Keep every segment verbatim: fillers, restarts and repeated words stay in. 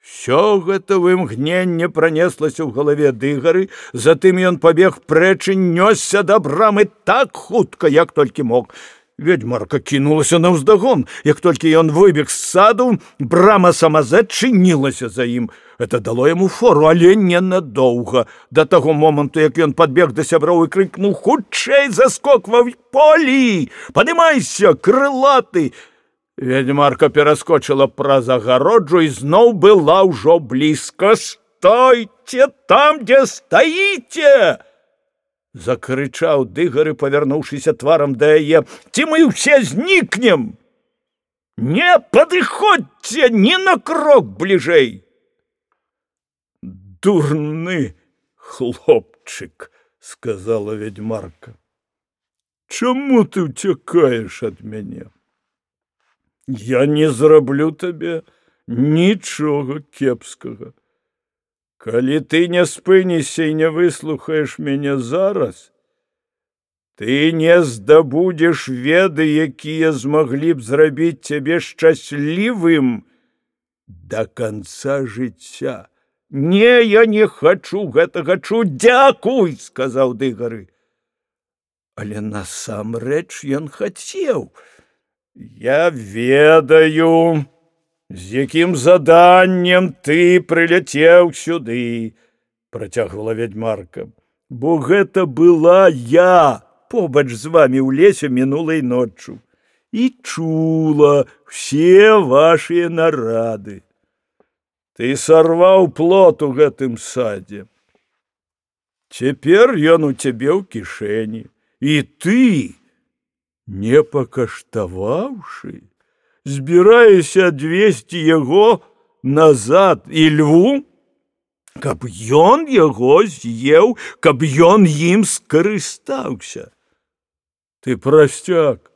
Всё гэта в імгненне пранеслася ў галаве Дыгары, затым ён пабег прэч і нёсся да брамы так хутка, як толькі мог. Ведьмарка кінулася наўздагон. Як толькі ён выбег з саду, брама сама зачынілася за ім. Это дало яму фору, але ненадоўга. Да таго моманту, як ён падбег да сяброў і крыкнуў: «Хутчэй заскоквай полі! Падымайся, крылаты!» Ведьмарка пераскочыла праз агароджу і зноў была ўжо блізка. «Стойце там, дзе стаіце!» Закрычаў Дыгары, павярнуўшыся тварам да яе. «Ці мы ўсе знікнем! Не падыходзьце ні на крок бліжэй!» «Дурны хлопчык!» — сказала ведьмарка. «Чаму ты ўцякаеш ад мяне? Я не зраблю табе нічога кепскага. Калі ты не спынішся і не выслухаеш мяне зараз, ты не здабудзеш веды, якія змаглі б зрабіць цябе шчаслівым да канца жыцця». «Не, я не хачу гэтага чуць, дзякуй!» — сказаў Дыгары. Але насамрэч ён хацеў. «Я ведаю, з якім заданнем ты прыляцеў сюды», — працягвала ведьмарка, «бо гэта была я побач з вамі ў лесе мінулай ноччу і чула ўсе вашыя нарады. Ты сарваў плод у гэтым садзе. Цяпер ён у цябе ў кішэні, і ты, не пакаштаваўшы, збіраешся адвесці яго назад і льву, каб ён яго з'еў, каб ён ім скарыстаўся. Ты прасцяк,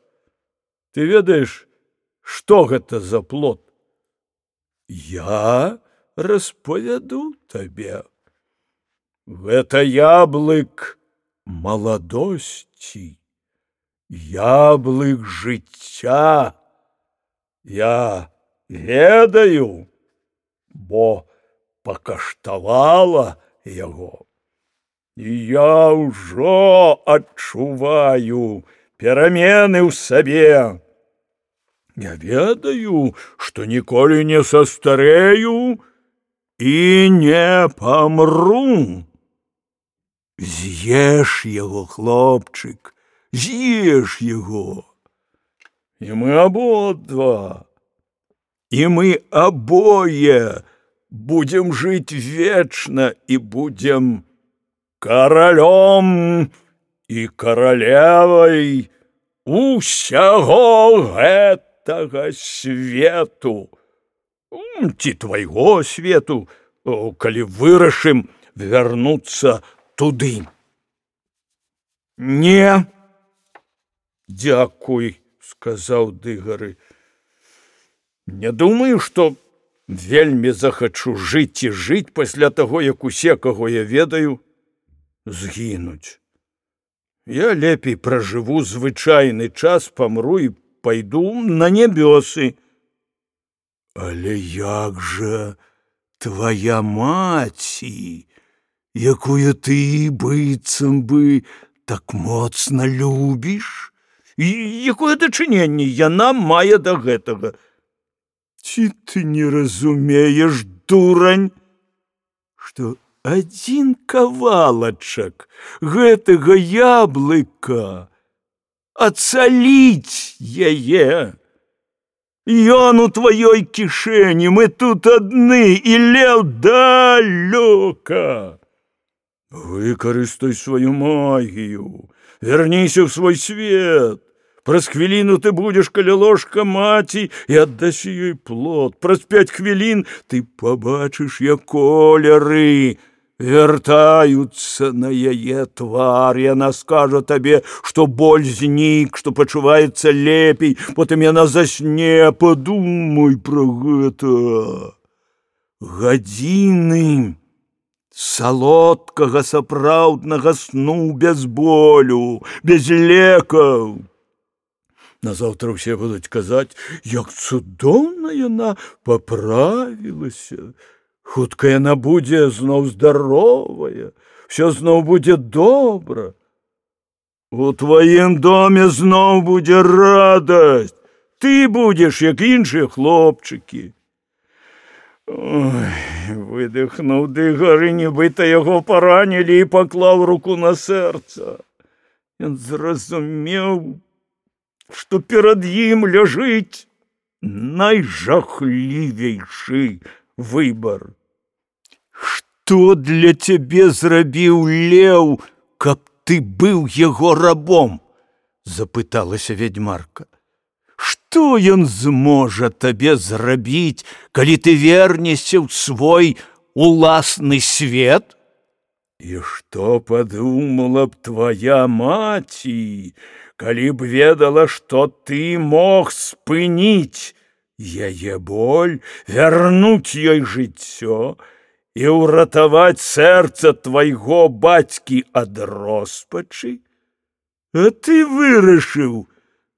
ты ведаеш, што гэта за плод? Я распавяду табе. Гэта яблык маладосці, яблык жыцця. Я ведаю, бо пакаштавала яго. І я ўжо адчуваю перамены ў сабе. Я ведаю, што ніколі не састарэю і не памру. З'еш яго, хлопчык, з'еш яго. І мы абодва, і мы абое будзем жыць вечна і будзем каралём і каралевай усяго гэтага свету, ці твайго свету, калі вырашым вярнуцца туды. Не, дзякуй, сказаў Дыгары. Не думаю, што вельмі захачу жыць і жыць пасля таго, як усе, каго я ведаю, згінуць. Я лепей пражыву звычайны час, памру і пайду на нябёсы. Але як жа твая маці, якую ты быццам бы так моцна любіш? І якое дачыненне яна мае да гэтага? Ці ты не разумееш, дурань, што адзін кавалачак гэтага яблыка ацаліць яе? Ён у тваёй кішэні, мы тут адны, і леў далёка. Выкарыстай сваю магію, верніся ў свой свет. Праз хвіліну ты будзеш каля ложка маці і аддасі ёй плод. Праз пяць хвілін ты пабачыш, як колеры вяртаюцца на яе твар. Яна скажа табе, што боль знік, што пачуваецца лепей, потым яна засне. Падумай пра гэта. Гадзіны салодкага сапраўднага сну без болю, без лекаў. Назаўтра ўсе будуць казаць, як цудоўна яна паправілася, Хутка яна будзе зноў здаровая, всё зноў будзе добра. У тваім доме зноў будзе радасць. Ты будзеш, як іншыя хлопчыкі. Ой, выдыхнуў Дыгар, і нібыта яго паранілі, і паклаў руку на сэрца. Ён зразумеў, што перад ім ляжыць найжахлівейшы выбар. Што для цябе зрабіў леў, каб ты быў яго рабом? Запыталася вядзьмарка. Што ён зможа табе зрабіць, калі ты вернешся ў свой уласны свет? І што падумала б твая маці, калі б ведала, што ты мог спыніць яе боль, вярнуць ёй жыццё і ўратаваць сэрца твайго бацькі ад роспачы? А ты вырашыў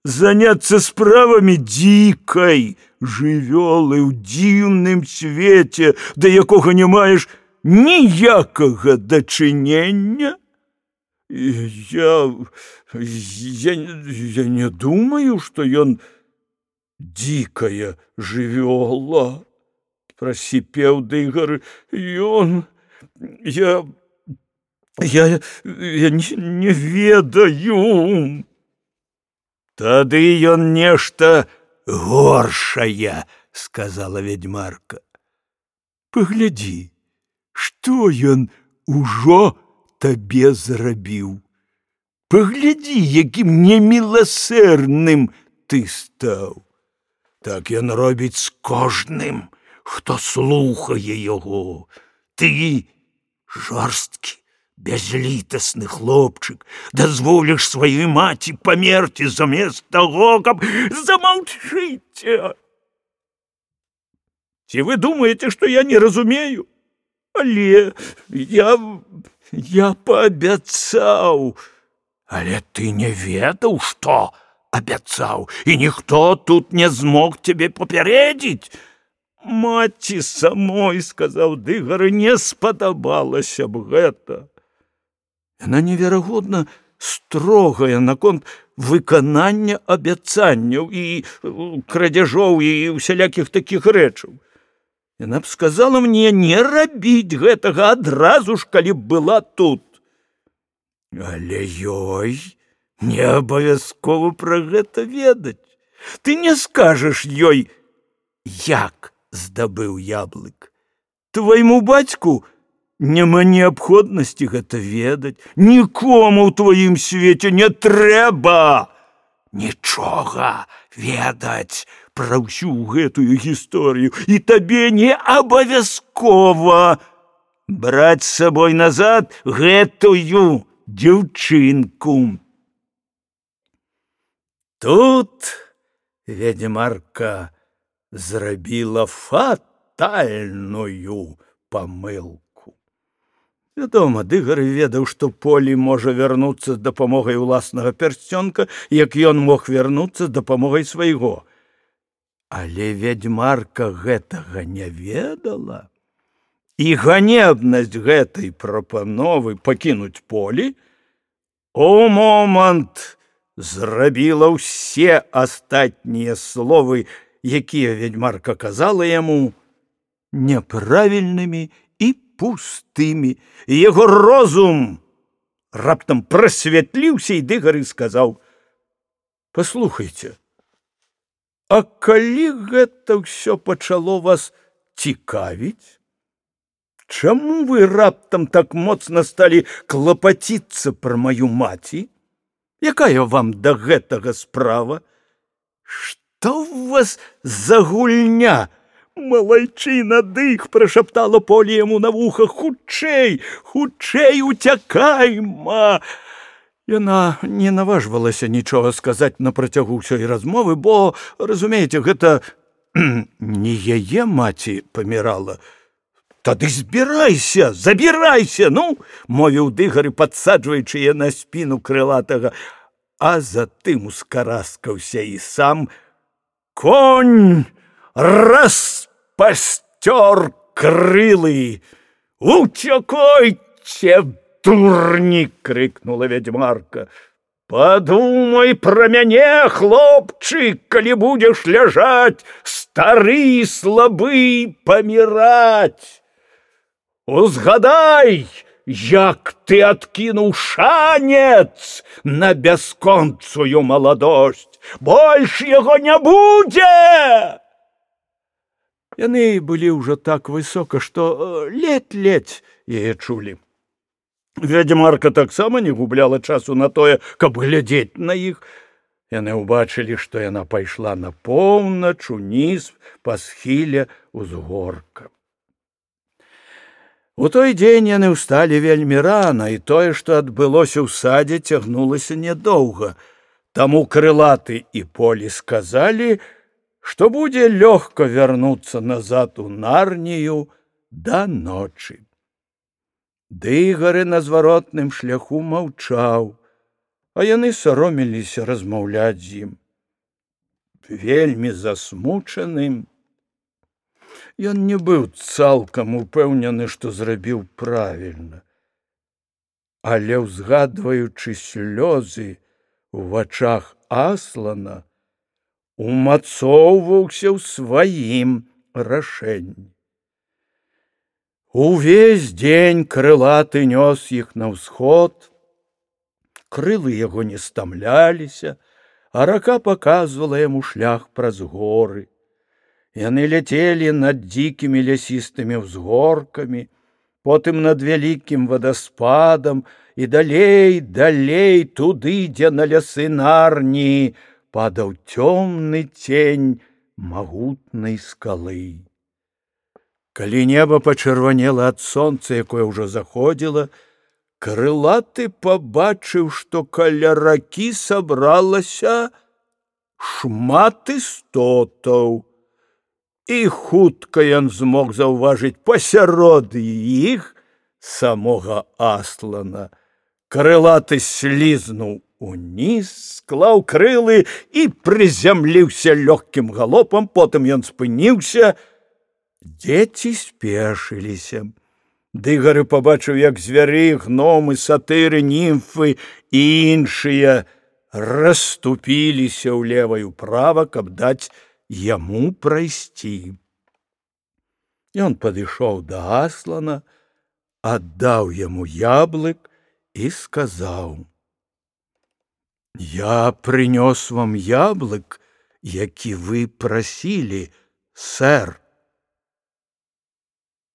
заняцца справамі дзікай жывёлы ў дзіўным свеце, да якога не маеш ніякага дачынення? Я... я... я не думаю, што ён дзікая жывёла, прасіпеў Дыгар. Ён... я... я... я не, не ведаю. Тады ён нешта горшае, сказала вядзьмарка. Паглядзі, што ён ужо табе зрабіў. Паглядзі, якім неміласэрным ты стаў. Так ён робіць з кожным, хто слухае яго. Ты жорсткі, бязлітасны хлопчык, дазволіш сваёй маці памерці замест таго, каб... Замаўчыце! Ці вы думаеце, што я не разумею? Але я... я паабяцаў. Але ты не ведаў, што абяцаў, і ніхто тут не змог цябе папярэдзіць. Маці самой, сказаў Дыгар, не спадабалася б гэта. Яна неверагодна строгая наконт выканання абяцанняў і крадзяжоў і усялякіх такіх рэчаў. Яна б сказала мне не рабіць гэтага адразу ж, калі б была тут. Але ёй не абавязкова пра гэта ведаць. Ты не скажаш ёй, як здабыў яблык. Твайму бацьку няма неабходнасці гэта ведаць. Нікому ў тваім свеце не трэба нічога ведаць пра ўсю гэтую гісторыю, і табе не абавязкова браць з сабой назад гэтую дзяўчынку. Тут вядзьмарка зрабіла фатальную памылку. Вядома, Дыгар ведаў, што Полі можа вярнуцца з дапамогай уласнага пярсцёнка, як ён мог вярнуцца з дапамогай свайго. Але вядзьмарка гэтага не ведала. І ганебнасць гэтай прапановы пакінуць Полі у момант зрабіла ўсе астатнія словы, якія вядзьмарка казала яму, няправільнымі і пустымі. І яго розум раптам прасвятліўся, і Дыгар сказаў: «Паслухайце, а калі гэта ўсё пачало вас цікавіць, чаму вы раптам так моцна сталі клапаціцца пра маю маці? Якая вам да гэтага справа? Што ў вас за гульня?» «Малайчына, дых!» – прашаптала Полі яму на вуха. «Хутчэй, хутчэй уцякайма!» Яна не наважвалася нічога сказаць на працягу ўсёй размовы, бо, разумееце, гэта не яе маці памірала. «Тады збірайся, забірайся, ну!» – мовіў Дыгар, падсаджваючы яе на спіну крылатага, а затым ускараскаўся і сам. Конь распасцёр крылы. «Утекайте, дурни!» — крикнула ведьмарка. «Подумай про мяне, хлопчык, калі будзеш ляжаць, стары і слабы, паміраць. Узгадай, як ты адкінуў шанец на бясконцую маладосць. Больш яго не будзе!» Яны былі ўжо так высока, што ледь-ледь яе чулі. Ведьмарка таксама не губляла часу на тое, каб глядзець на іх. Яны ўбачылі, што яна пайшла на поўнач уніз па схіле ўзгорка. У той дзень яны ўсталі вельмі рана, і тое, што адбылося ў садзе, цягнулася нядоўга. Таму крылаты і Полі сказалі, што будзе лёгка вярнуцца назад у Нарнію да ночы. Дыгары на зваротным шляху маўчаў, а яны саромеліся размаўляць з ім. Вельмі засмучаным, ён не быў цалкам упэўнены, што зрабіў правільна, але, узгадваючы слёзы ў вачах Аслана, умацоўваўся ў сваім рашэнні. Увесь дзень крылаты нёс іх на ўсход, крылы яго не стамляліся, а рака паказвала яму шлях праз горы. Яны ляцелі над дзікімі лясістымі ўзгоркамі, потым над вялікім вадаспадам і далей, далей, туды, дзе на лясы Нарніі падаў цёмны цень магутнай скалы. Калі неба пачырванела ад сонца, якое ўжо заходзіла, крылаты пабачыў, што каля ракі сабралася шмат істотаў. І хутка ён змог заўважыць пасярод іх самога Аслана. Крылаты слізнуў уніз, склаў крылы і прызямліўся лёгкім галопам, потым ён спыніўся. Дзеці спешыліся. Дыгары пабачыў, як звяры, гномы, сатыры, німфы і іншыя расступіліся ўлева і ўправа, каб даць яму прайсці. Ён падышоў да Аслана, аддаў яму яблык і сказаў: «Я прынёс вам яблык, які вы прасілі, сэр».